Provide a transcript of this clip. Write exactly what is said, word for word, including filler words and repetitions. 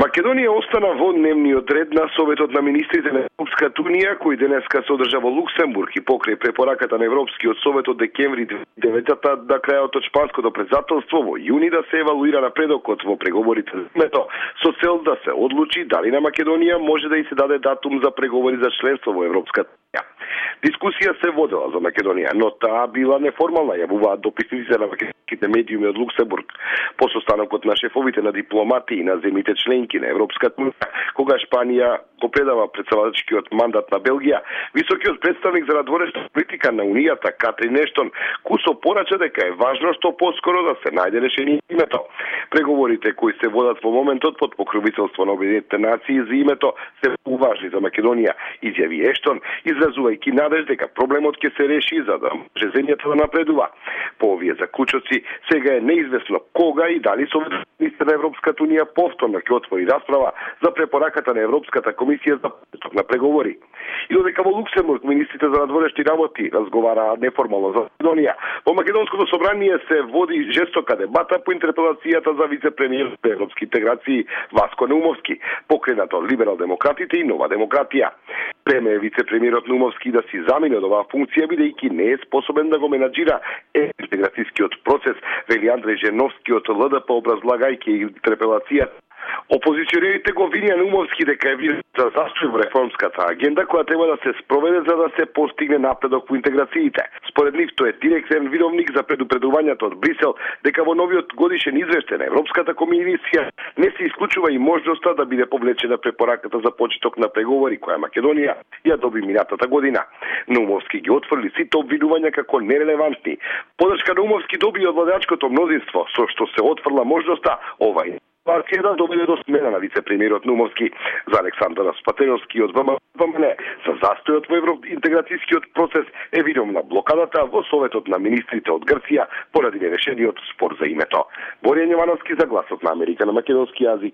Македонија остана во дневниот ред на Советот на министрите на Европската унија, кој денеска се одржа во Луксембург и покрај препораката на Европскиот совет од декември две илјади и деветта да крајот од шпанското председателство во јуни да се евалуира напредокот во преговорите за името, со цел да се одлучи дали на Македонија може да и се даде датум за преговори за членство во Европската унија. Дискусија се водела за Македонија, но таа била неформална, јавуваат дописниците на македонските медиуми од Луксембург по состанокот на шефовите на дипломати и на земјите членки на Европската унија, кога Шпанија го предава претседателскиот мандат на Белгија. Високиот представник за надворешна политика на Унијата Катрин Ештон кусо порача дека е важно што поскоро да се најде решение за името. Преговорите кои се водат во моментот под покровителство на Обединетите нации за името се важни за Македонија, изјави Ештон, изразувајќи надеж дека проблемот ќе се реши за да може земјата да напредува. По овие заклучоци сега е неизвестно кога и дали Советот на Европската унија повторно ќе отвори расправа за препораката на Европската комисија за почеток на преговори. И додека во Луксембург министрите за надворешни работи разговараат неформално за Македонија, во Македонското собрание се води жестока дебата по интерпелацијата за вице-премиер за европски интеграции Васко Неумовски, покренато од либерал-демократите и Нова демократија. Преме е вице-премиерот Неумовски да си замине од оваа функција бидејќи не е способен да го менаџира интеграцијскиот процес, вели Андреј Женовски од Л Д П образлагајќи интерпелацијата. Опозиционерите го винија Неумовски дека е виновен за застој во реформската агенда која треба да се спроведе за да се постигне напредок во интеграциите. Според нив тој е директен виновник за предупредувањето од Брисел дека во новиот годишен извештај на Европската комисија не се исклучува и можноста да биде повлечена препораката за почеток на преговори која Македонија ја доби минатата година. Неумовски ги отфрли сите обвинувања како нерелевантни. Подршка Неумовски доби од владеачкото мнозинство, со што се отфрла можноста овај партија да доведе до смена на вице-премиерот Неумовски. За Александар Спателовски од В М Н за застојот во евроинтеграцијскиот процес е виновна блокадата во Советот на министрите од Грција поради нерешениот спор за името. Боријан Јовановски за Гласот на Америка на македонски јазик.